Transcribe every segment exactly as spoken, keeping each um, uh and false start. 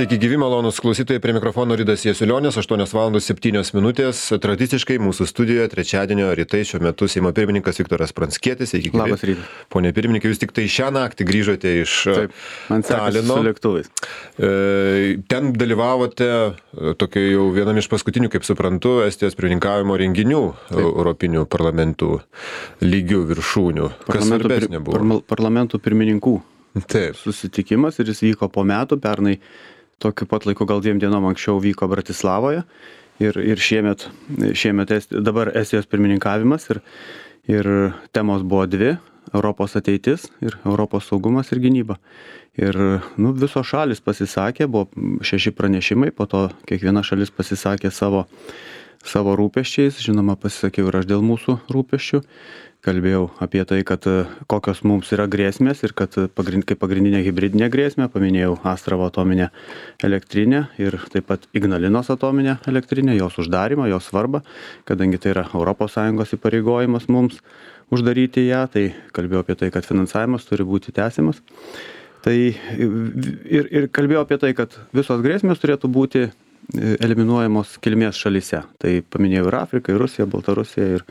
Sveiki gyvi, malonus klausytojai, prie mikrofono Ridas Jasiulionis, aštuonios valandos septynios minutės. Tradiciškai mūsų studijoje trečiadienio rytai šiuo metu Seimo pirmininkas Viktoras Pranckietis. Sveiki gyvi. Labas rytas. Pone pirmininkai, jūs tik tai šią naktį grįžote iš Taip, man Talino. su lėktuvais. Ten dalyvavote tokio jau vienam iš paskutinių, kaip suprantu, Estijos pirmininkavimo renginių Taip. Europinių parlamentų lygių viršūnių. Kas svarbesnė buvo? Par, parlamentų pirmininkų Taip. susitikimas ir jis vyko po metų, pernai tokiu pat laiku, gal dviem dienom anksčiau vyko Bratislavoje ir, ir šiemet, šiemet Esti, dabar Estijos pirmininkavimas ir, ir temos buvo dvi - Europos ateitis ir Europos saugumas ir gynyba. Ir nu, visos šalis pasisakė, buvo šeši pranešimai, po to kiekviena šalis pasisakė savo, savo rūpesčiais, žinoma pasisakiau ir aš dėl mūsų rūpesčių. Kalbėjau apie tai, kad kokios mums yra grėsmės ir kad pagrind, kaip pagrindinė hibridinė grėsmė, paminėjau Astravo atominę elektrinę ir taip pat Ignalinos atominę elektrinę, jos uždarimą, jos svarbą, kadangi tai yra Europos Sąjungos įpareigojimas mums uždaryti ją, tai kalbėjau apie tai, kad finansavimas turi būti tęsiamas. Tai ir, ir kalbėjau apie tai, kad visos grėsmės turėtų būti eliminuojamos kilmės šalyse. Tai paminėjau ir Afriką, ir Rusiją, Baltarusiją, ir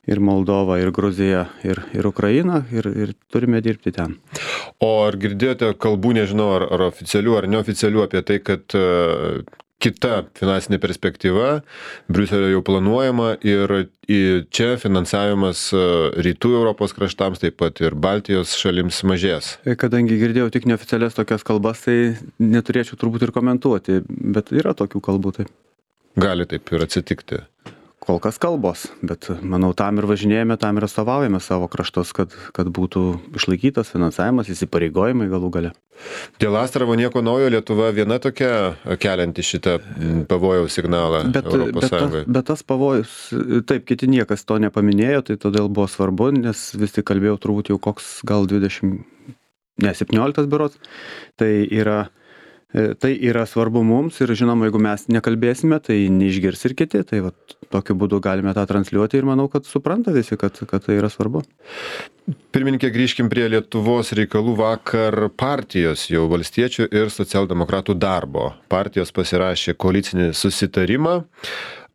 ir Moldova, ir Gruzija, ir, ir Ukraina, ir, ir turime dirbti ten. O ar girdėjote kalbų, nežinau, ar, ar oficialių, ar neoficialių apie tai, kad uh, kita finansinė perspektyva Briuselio jau planuojama ir čia finansavimas uh, rytų Europos kraštams, taip pat ir Baltijos šalims mažės? Kadangi girdėjau tik neoficialias tokias kalbas, tai neturėčiau turbūt ir komentuoti, bet yra tokių kalbų. Taip. Gali taip ir atsitikti. Kol kas kalbos, bet manau, tam ir važinėjame, tam ir atstovaujame savo kraštus, kad, kad būtų išlaikytas finansavimas, įsipareigojimai galų gale. Dėl Astravo nieko naujo, Lietuva viena tokia kelianti šitą pavojaus signalą bet, Europos bet, Sąjungai. Bet, bet tas pavojus, taip, kiti niekas to nepaminėjo, tai todėl buvo svarbu, nes vis tik kalbėjau turbūt jau koks gal dvidešimt, ne, septynioliktas berods, tai yra Tai yra svarbu mums ir žinoma, jeigu mes nekalbėsime, tai neišgirs ir kiti. Tai va, tokiu būdu galime tą transliuoti ir manau, kad supranta visi, kad, kad tai yra svarbu. Pirmininkė, grįžkim prie Lietuvos reikalų. Vakar partijos jau valstiečių ir socialdemokratų darbo. Partijos pasirašė koalicinį susitarimą.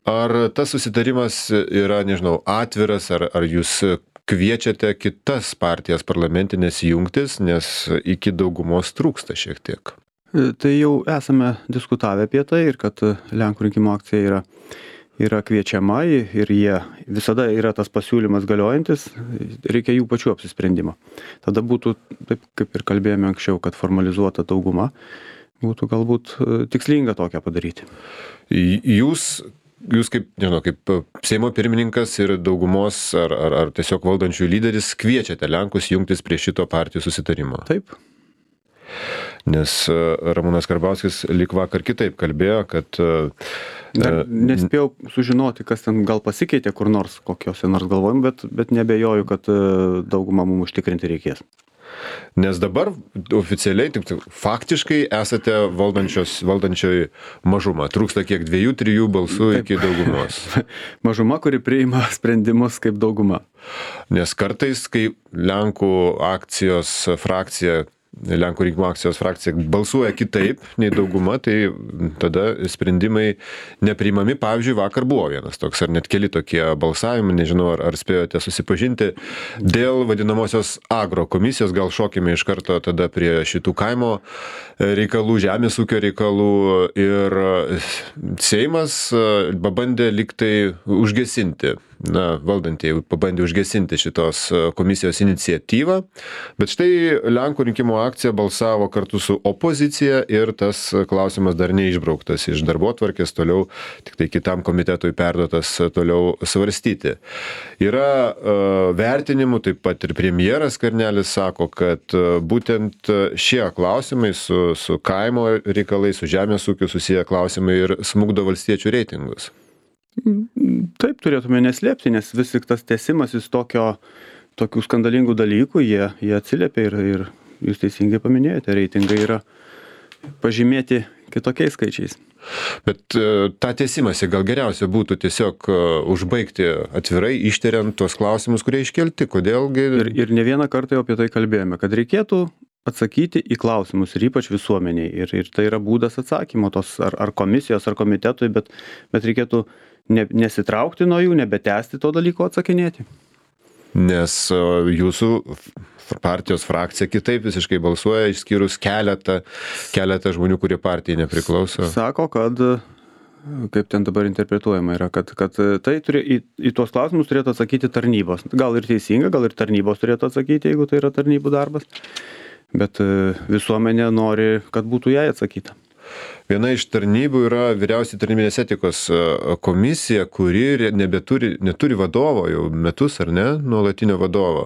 Ar tas susitarimas yra, nežinau, atviras, ar, ar jūs kviečiate kitas partijas parlamentinės jungtis, nes iki daugumos trūksta šiek tiek? Tai jau esame diskutavę apie tai ir kad Lenkų rinkimų akcija yra, yra kviečiama ir jie visada yra tas pasiūlymas galiojantis, reikia jų pačių apsisprendimo. Tada būtų, taip kaip ir kalbėjome anksčiau, kad formalizuota dauguma, būtų galbūt tikslinga tokią padaryti. Jūs, jūs kaip, nežinau, kaip Seimo pirmininkas ir daugumos ar, ar, ar tiesiog valdančių lyderis kviečiate Lenkus jungtis prie šito partijų susitarimo? Taip. Nes Ramūnas Karbauskis lyg vakar kitaip kalbėjo, kad... Dar nespėjau sužinoti, kas ten gal pasikeitė kur nors, kokiuose nors galvojim, bet, bet nebejoju, kad daugumą mums užtikrinti reikės. Nes dabar oficialiai, tik faktiškai esate valdančioji mažuma. Trūksta kiek dviejų, trijų balsų Taip. Iki daugumos. Mažuma, kuri priima sprendimus kaip dauguma. Nes kartais, kai Lenkų akcijos frakcija Lenkų rinkimų akcijos frakcija balsuoja kitaip nei dauguma, tai tada sprendimai nepriimami. Pavyzdžiui, vakar buvo vienas toks, ar net keli tokie balsavimai, nežinau, ar, ar spėjote susipažinti, dėl vadinamosios agro komisijos. Gal šokime iš karto tada prie šitų kaimo reikalų, žemės ūkio reikalų. Ir Seimas pabandė liktai užgesinti, na, valdantieji pabandė užgesinti šitos komisijos iniciatyvą, bet štai Lenkų rinkimų akcija balsavo kartu su opozicija ir tas klausimas dar neišbrauktas iš darbotvarkės, toliau tik tai kitam komitetui perduotas toliau svarstyti. Yra uh, vertinimų, taip pat ir premjeras Skvernelis sako, kad uh, būtent šie klausimai su, su kaimo reikalais, su žemės ūkiu susiję klausimai ir smugdo valstiečių reitingus. Taip turėtume neslėpti, nes vis tik tas tęsimas iš tokio, tokių skandalingų dalykų, jie, jie atsiliepia ir, ir jūs teisingai paminėjote, reitingai yra pažymėti kitokiais skaičiais. Bet tą tęsimąsi gal geriausia būtų tiesiog užbaigti atvirai, ištiriant tuos klausimus, kurie iškelti. Kodėlgi... Ir, ir ne vieną kartą jau apie tai kalbėjome, kad reikėtų atsakyti į klausimus ir ypač visuomeniai. Ir, ir tai yra būdas atsakymo tos ar, ar komisijos, ar komitetui, bet, bet reikėtų ne, nesitraukti nuo jų, nebetęsti to dalyko atsakinėti. Nes jūsų partijos frakcija kitaip visiškai balsuoja, išskyrus keletą, keletą žmonių, kurie partijai nepriklauso. Sako, kad, kaip ten dabar interpretuojama yra, kad, kad tai turi, į, į tuos klausimus turėtų atsakyti tarnybos. Gal ir teisinga, gal ir tarnybos turėtų atsakyti, jeigu tai yra tarnybų darbas. Bet visuomenė nori, kad būtų jai atsakyta. Viena iš tarnybų yra vyriausiai tarnybinės etikos komisija, kuri nebeturi, neturi vadovo jau metus, ar ne, nuolatinio vadovo.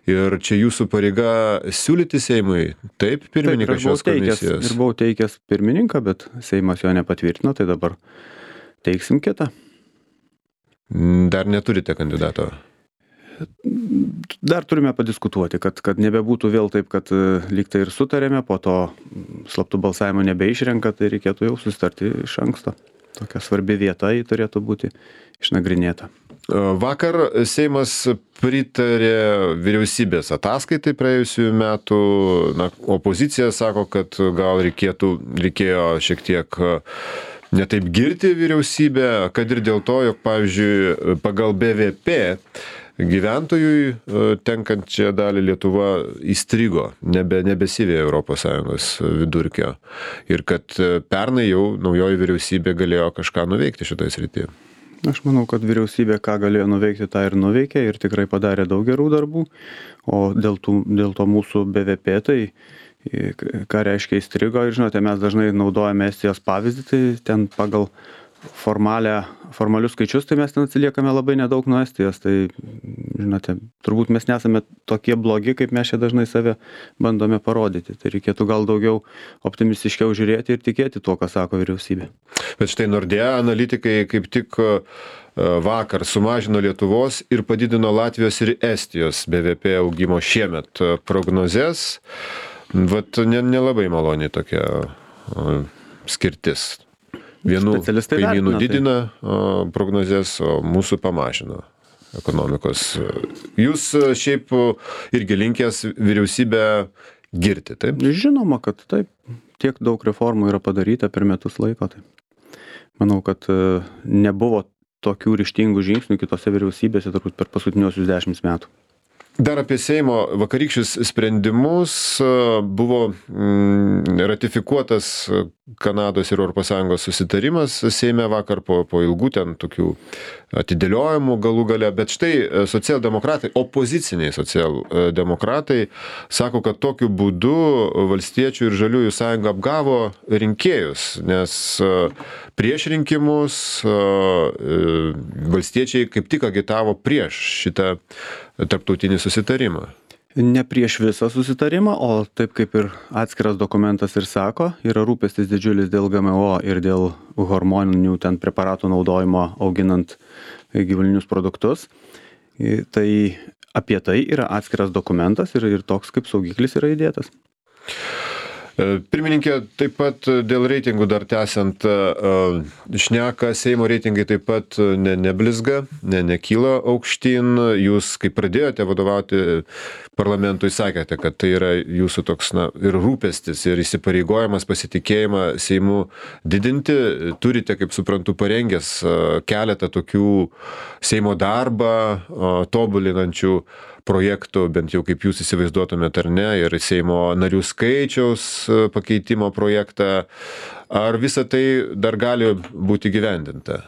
Ir čia jūsų pareiga siūlyti Seimui, taip, pirmininką taip, šios teikęs, komisijos. Ir buvau teikęs pirmininką, bet Seimas jo nepatvirtino, tai dabar teiksim kitą. Dar neturite kandidato? Dar turime padiskutuoti, kad, kad nebebūtų vėl taip, kad lyg tai ir sutarėme, po to slaptų balsavimo nebeišrenka, tai reikėtų jau susitarti iš anksto. Tokia svarbi vieta jį turėtų būti išnagrinėta. Vakar Seimas pritarė vyriausybės ataskaitai praėjusių metų. Na, opozicija sako, kad gal reikėtų, reikėjo šiek tiek netaip girti vyriausybę, kad ir dėl to, jog, pavyzdžiui, pagal B V P gyventojui tenkančią dalį Lietuva įstrigo, nebe, nebesivėja Europos Sąjungos vidurkio. Ir kad pernai jau naujoji vyriausybė galėjo kažką nuveikti šitoje srityje. Aš manau, kad vyriausybė ką galėjo nuveikti, tą ir nuveikė ir tikrai padarė daug gerų darbų. O dėl, tų, dėl to mūsų B V P, tai ką reiškia įstrigo, ir žinote, mes dažnai naudojame Estijos pavyzdį, tai ten pagal formalę, formalius skaičius, tai mes ten atsiliekame labai nedaug nuo Estijos. Tai, žinote, turbūt mes nesame tokie blogi, kaip mes čia dažnai save bandome parodyti. Tai reikėtų gal daugiau optimistiškiau žiūrėti ir tikėti tuo, ką sako vyriausybė. Bet štai Nordea analitikai kaip tik vakar sumažino Lietuvos ir padidino Latvijos ir Estijos B V P augimo šiemet prognozes. Vat nelabai maloniai tokia skirtis. Vienų kaimynų didina prognozes, o mūsų pamažino ekonomikos. Jūs šiaip irgi linkęs vyriausybę girti, taip? Žinoma, kad taip. Tiek daug reformų yra padaryta per metus laiko. Tai. Manau, kad nebuvo tokių ryžtingų žingsnių kitose vyriausybėse turbūt per paskutiniuosius dešimt metų. Dar apie Seimo vakarykščius sprendimus. Buvo ratifikuotas Kanados ir Europos Sąjungos susitarimas Seime vakar po, po ilgų ten tokių atidėliojimų galų gale. Bet štai socialdemokratai, opoziciniai socialdemokratai sako, kad tokiu būdu Valstiečių ir Žaliųjų sąjunga apgavo rinkėjus, nes prieš rinkimus valstiečiai kaip tik agitavo prieš šitą tarptautinį susitarimą. Ne prieš visą susitarimą, o taip kaip ir atskiras dokumentas ir sako, yra rūpestis didžiulis dėl G M O ir dėl hormoninių ten preparatų naudojimo auginant gyvulinius produktus. Tai apie tai yra atskiras dokumentas ir, ir toks kaip saugiklis yra įdėtas. Pirmininkė, taip pat dėl reitingų dar tęsiant šneka, Seimo reitingai taip pat ne, neblizga, ne, nekyla aukštyn. Jūs, kai pradėjote vadovauti parlamentui, sakėte, kad tai yra jūsų toks na, ir rūpestis, ir įsipareigojimas pasitikėjimą Seimu didinti. Turite, kaip suprantu, parengęs keletą tokių Seimo darbą tobulinančių projektų, bent jau kaip jūs įsivaizduotumėte ar ne, ir Seimo narių skaičiaus pakeitimo projektą. Ar visa tai dar gali būti įgyvendinta?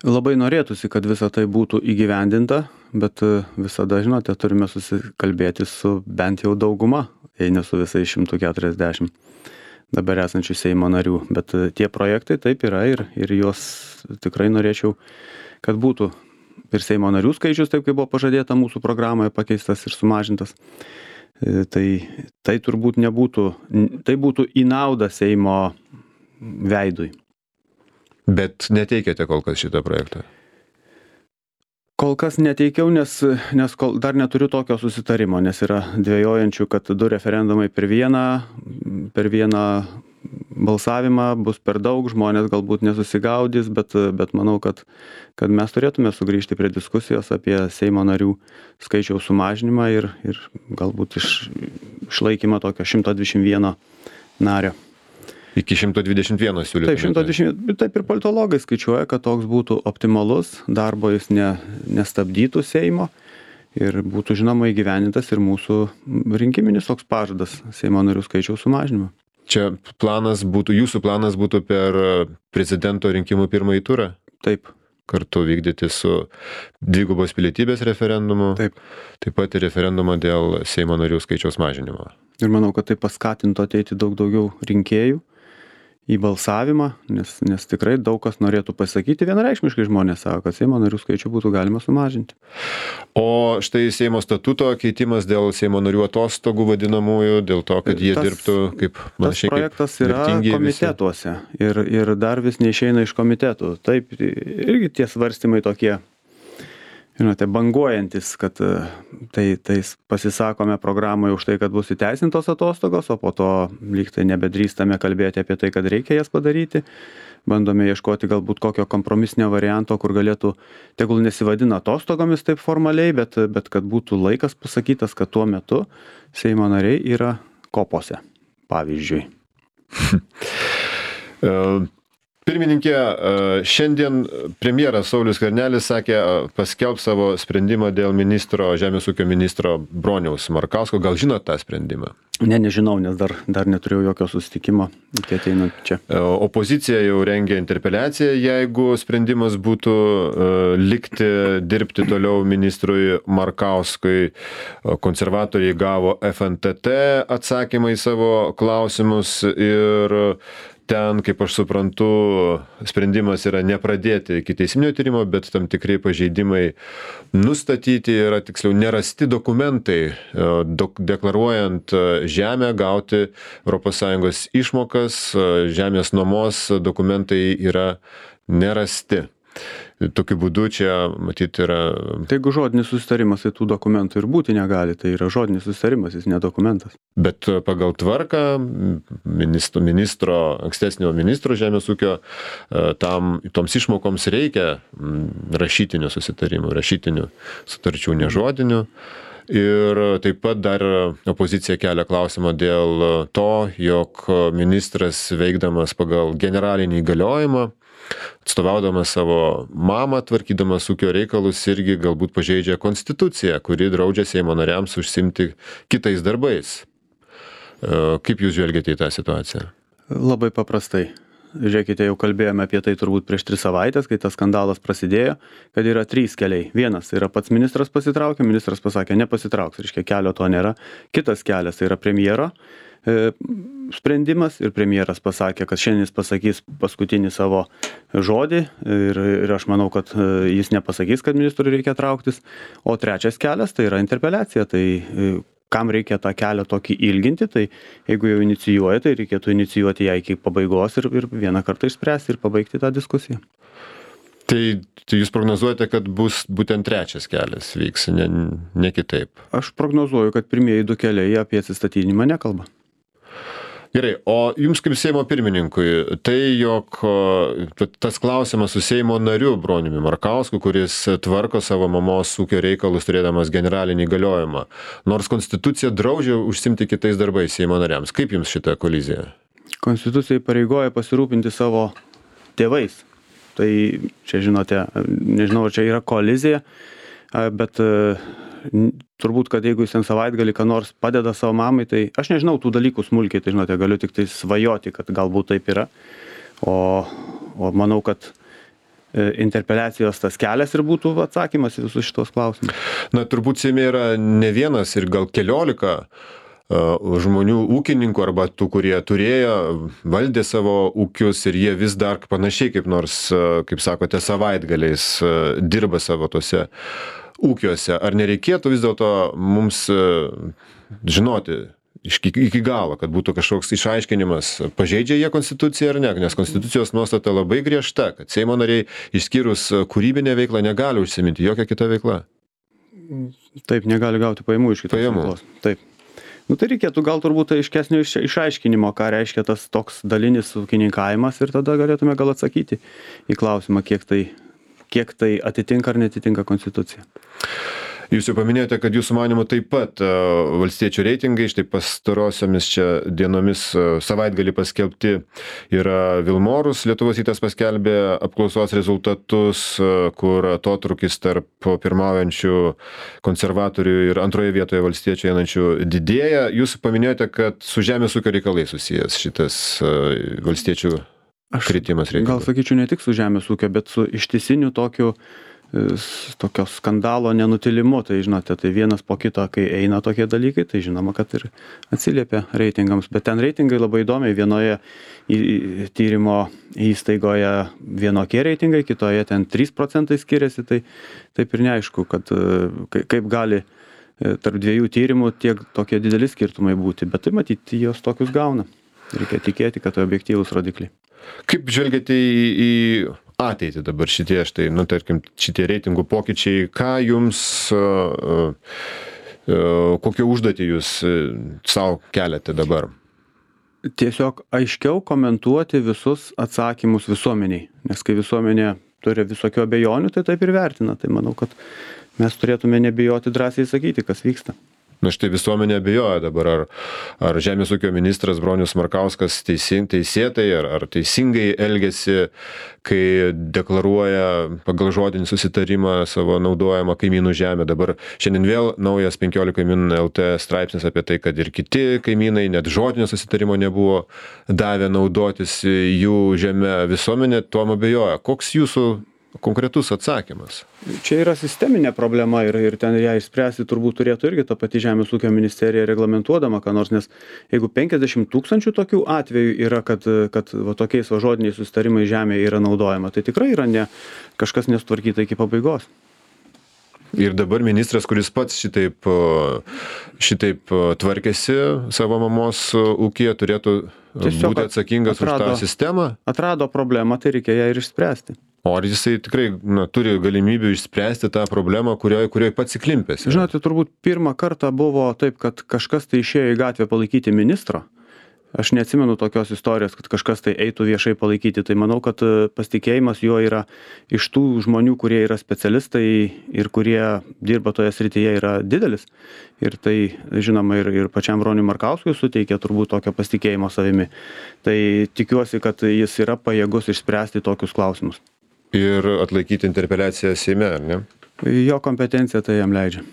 Labai norėtųsi, kad visa tai būtų įgyvendinta, bet visada, žinote, turime susikalbėti su bent jau dauguma, jei ne su visais šimtu keturiasdešimt dabar esančių Seimo narių. Bet tie projektai taip yra ir, ir juos tikrai norėčiau, kad būtų ir Seimo narių skaičius, taip kaip buvo pažadėta mūsų programoje, pakeistas ir sumažintas. Tai, tai turbūt nebūtų, tai būtų į naudą Seimo veidui. Bet neteikėte kol kas šitą projektą? Kol kas neteikiau, nes, nes kol, dar neturiu tokio susitarimo, nes yra dvejojančių, kad du referendumai per vieną, per vieną balsavimą bus per daug, žmonės galbūt nesusigaudys, bet, bet manau, kad, kad mes turėtume sugrįžti prie diskusijos apie Seimo narių skaičiaus sumažinimą ir, ir galbūt iš, išlaikymą tokio šimto dvidešimt vieno nario. Iki šimto dvidešimt vieno siūlytumėte. Taip, šimto dvidešimt, taip ir politologai skaičiuoja, kad toks būtų optimalus, darbo jis ne, nestabdytų Seimo ir būtų žinoma įgyvendintas ir mūsų rinkiminis toks pažadas Seimo narių skaičiaus sumažinimo. Čia planas būtų, jūsų planas būtų per prezidento rinkimų pirmąjį turą? Taip. Kartu vykdyti su dvigubos pilietybės referendumu, taip, taip pat ir referendumo dėl Seimo narių skaičiaus mažinimo. Ir manau, kad tai paskatintų ateiti daug daugiau rinkėjų į balsavimą, nes, nes tikrai daug kas norėtų pasakyti, vienareikšmiškai žmonės sako, kad Seimo narių skaičių būtų galima sumažinti. O štai Seimo statuto keitimas dėl Seimo narių atostogų vadinamųjų, dėl to, kad jie tas, dirbtų kaip panašiai. Tas projektas yra komitetuose ir, ir dar vis neišeina iš komitetų. Taip, irgi tie svarstymai tokie, žinote, banguojantis, kad tai, tai pasisakome programoje už tai, kad bus įteisintos atostogos, o po to lyg tai nebedrįstame kalbėti apie tai, kad reikia jas padaryti. Bandome ieškoti galbūt kokio kompromisinio varianto, kur galėtų, tegul nesivadina atostogomis taip formaliai, bet, bet kad būtų laikas pasakytas, kad tuo metu Seimo nariai yra kopose, pavyzdžiui. Pirmininkė, šiandien premjeras Saulius Skvernelis sakė, paskelbs savo sprendimą dėl ministro, žemės ūkio ministro Broniaus Markausko. Gal žinot tą sprendimą? Ne, nežinau, nes dar, dar neturėjau jokio susitikimo, kai ateinant čia. Opozicija jau rengia interpeliaciją, jeigu sprendimas būtų likti, dirbti toliau ministrui Markauskui. Konservatoriai gavo F N T T atsakymą į savo klausimus ir ten, kaip aš suprantu, sprendimas yra nepradėti ikiteisminio tyrimo, bet tam tikrai pažeidimai nustatyti yra, tiksliau, nerasti dokumentai, dok, deklaruojant žemę, gauti Europos Sąjungos išmokas, žemės nuomos dokumentai yra nerasti. Tokiu būdu čia, matyt, yra... Tai jeigu žodinis susitarimas, tai tų dokumentų ir būti negali, tai yra žodinis susitarimas, jis ne dokumentas. Bet pagal tvarką ministro, ministro ankstesnio ministro žemės ūkio, tam, toms išmokoms reikia rašytinių susitarimų, rašytinių sutarčių, nežodinių. Ir taip pat dar opozicija kelia klausimą dėl to, jog ministras veikdamas pagal generalinį įgaliojimą, atstovaudamas savo mamą, tvarkydamas ūkio reikalus, irgi galbūt pažeidžia konstituciją, kuri draudžia Seimo nariams užsimti kitais darbais. Kaip jūs žvelgiate į tą situaciją? Labai paprastai. Žiūrėkite, jau kalbėjome apie tai turbūt prieš tris savaitės, kai tas skandalas prasidėjo, kad yra trys keliai. Vienas yra pats ministras pasitraukė, ministras pasakė nepasitrauks, reiškia kelio to nėra. Kitas kelias tai yra premjero e, sprendimas ir premjeras pasakė, kad šiandien jis pasakys paskutinį savo žodį ir, ir aš manau, kad jis nepasakys, kad ministrui reikia trauktis. O trečias kelias tai yra interpeliacija. Tai kam reikia tą kelią tokį ilginti, tai jeigu jau inicijuoja, tai reikėtų inicijuoti ją iki pabaigos ir, ir vieną kartą išspręsti ir pabaigti tą diskusiją. Tai, tai jūs prognozuojate, kad bus būtent trečias kelias vyks, ne, ne kitaip? Aš prognozuoju, kad pirmieji du keliai apie atsistatydinimą nekalba. Gerai, o jums kaip Seimo pirmininkui, tai jog tas klausimas su Seimo nariu Broniumi Markausku, kuris tvarko savo mamos ūkio reikalus turėdamas generalinį įgaliojimą, nors konstitucija draudžia užsimti kitais darbais Seimo nariams. Kaip jums šita kolizija? Konstitucija įpareigoja pasirūpinti savo tėvais. Tai čia žinote, nežinau, ar čia yra kolizija, bet turbūt, kad jeigu jis ten savaitgalį ką nors padeda savo mamai, tai aš nežinau tų dalykų smulkiai, tai žinote, galiu tik tai svajoti, kad galbūt taip yra. O, o manau, kad interpeliacijos tas kelias ir būtų atsakymas į visus šitos klausimus. Na, turbūt Seime yra ne vienas ir gal keliolika žmonių ūkininkų arba tų, kurie turėjo, valdė savo ūkius ir jie vis dar panašiai kaip nors, kaip sakote, savaitgaliais dirba savo tose ūkiuose. Ar nereikėtų vis dėlto mums žinoti iki, iki galo, kad būtų kažkoks išaiškinimas, pažeidžia jie konstituciją ar ne, nes konstitucijos nuostata labai griežta, kad Seimo nariai išskyrus kūrybinę veiklą negali užsiminti jokią kitą veiklą. Taip, negali gauti pajamų iš kitos pajamų. veiklos. Taip. Nu, tai reikėtų gal turbūt aiškesnio iš, išaiškinimo, ką reiškia tas toks dalinis ūkininkavimas ir tada galėtume gal atsakyti į klausimą, kiek tai, kiek tai atitinka ar netitinka konstituciją. Jūs jau paminėjote, kad jūsų manymu taip pat valstiečių reitingai, štai pastarosiomis čia dienomis savaitgalį paskelbti yra Vilmorus, Lietuvos rytas paskelbė apklausos rezultatus, kur atotrūkis tarp pirmaujančių konservatorių ir antroje vietoje valstiečių einančių didėja. Jūs paminėjote, kad su žemės ūkio reikalais susijęs šitas valstiečių kritimas reitingų. Gal sakyčiau ne tik su žemės ūkio, bet su ištisiniu tokiu tokio skandalo nenutilimu, tai žinote, tai vienas po kito, kai eina tokie dalykai, tai žinoma, kad ir atsiliepia reitingams, bet ten reitingai labai įdomiai, vienoje tyrimo įstaigoje vienokie reitingai, kitoje ten trys procentai skiriasi, tai taip ir neaišku, kad kaip gali tarp dviejų tyrimų tiek tokie dideli skirtumai būti, bet tai matyti jos tokius gauna. Reikia tikėti, kad tai objektyvūs rodikliai. Kaip žvelgiate į, į ateitį dabar šitie, štai, nu, tarkim, šitie reitingų pokyčiai, ką jums, uh, uh, kokią užduotį jūs uh, savo keliate dabar? Tiesiog aiškiau komentuoti visus atsakymus visuomeniai, nes kai visuomenė turi visokių abejonių, tai taip ir vertina. Tai manau, kad mes turėtume nebijoti drąsiai sakyti, kas vyksta. Na štai visuomenė abejoja dabar, ar, ar Žemės ūkio ministras Bronius Markauskas teisin, teisėtai ar, ar teisingai elgesi, kai deklaruoja pagal žodinį susitarimą savo naudojamą kaimynų žemę. Dabar šiandien vėl naujas penkiolika min el t straipsnis apie tai, kad ir kiti kaimynai net žodinio susitarimo nebuvo davę naudotis jų žemę. Visuomenė tuom abejoja. Koks jūsų konkretus atsakymas? Čia yra sisteminė problema ir, ir ten ją išspręsti turbūt turėtų irgi ta pati Žemės ūkio ministerija reglamentuodama, ką nors, nes jeigu penkiasdešimt tūkstančių tokių atvejų yra, kad, kad va, tokiais va, žodiniais susitarimai žemėje yra naudojama, tai tikrai yra ne, kažkas nesutvarkyta iki pabaigos. Ir dabar ministras, kuris pats šitaip, šitaip tvarkėsi savo mamos ūkyje, turėtų Tiesiog būti atsakingas atrado, už tą sistemą? Atrado problemą, tai reikia ją ir išspręsti. O ar jisai tikrai na, turi galimybių išspręsti tą problemą, kurioje, kurioje pats įklimpęs? Žinote, turbūt pirmą kartą buvo taip, kad kažkas tai išėjo į gatvę palaikyti ministro. Aš neatsimenu tokios istorijos, kad kažkas tai eitų viešai palaikyti. Tai manau, kad pasitikėjimas juo yra iš tų žmonių, kurie yra specialistai ir kurie dirba toje srityje, yra didelis. Ir tai, žinoma, ir, ir pačiam Broniui Markauskui suteikia turbūt tokio pasitikėjimo savimi. Tai tikiuosi, kad jis yra pajėgus išspręsti tokius klausimus. Ir atlaikyti interpeliaciją Seime, ar ne? Jo kompetencija tai jam leidžia.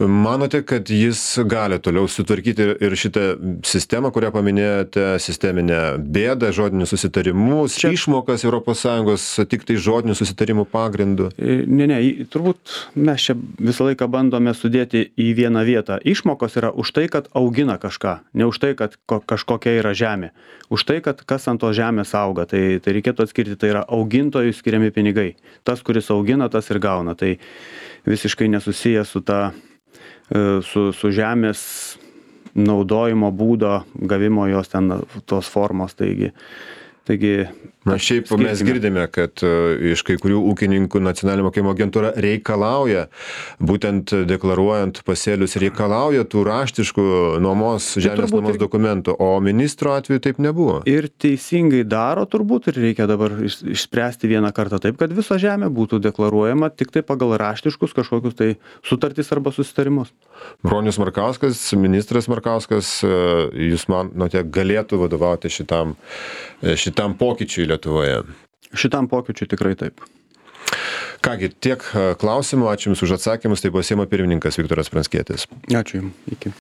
Manote, kad jis gali toliau sutvarkyti ir šitą sistemą, kurią paminėjote, sisteminę bėdą, žodinius susitarimus, Čia... išmokas Europos Sąjungos tik tai žodinių susitarimų pagrindų? Ne, ne, turbūt mes čia visą laiką bandome sudėti į vieną vietą. Išmokos yra už tai, kad augina kažką, ne už tai, kad kažkokia yra žemė. Už tai, kad kas ant to žemės auga. Tai, tai reikėtų atskirti, tai yra augintojų skiriami pinigai. Tas, kuris augina, tas ir gauna. Tai visiškai nesusiję su ta Su, su žemės naudojimo būdo gavimo jos ten tos formos, taigi, taigi Na šiaip skirkime. Mes girdime, kad iš kai kurių ūkininkų nacionalinė mokėjimo agentūra reikalauja, būtent deklaruojant pasėlius, reikalauja tų raštiškų nuomos, žemės nuomos ir... dokumentų, o ministro atveju taip nebuvo. Ir teisingai daro turbūt ir reikia dabar išspręsti vieną kartą taip, kad visa žemė būtų deklaruojama tik tai pagal raštiškus kažkokius tai sutartys arba susitarimus. Bronius Markauskas, ministras Markauskas, jūs manote, galėtų vadovauti šitam, šitam pokyčiui Lietuvoje? Šitam pokyčiui tikrai taip. Kągi, tiek klausimų, ačiū Jums už atsakymus, tai buvo Seimo pirmininkas Viktoras Pranckietis. Ačiū Jums, iki.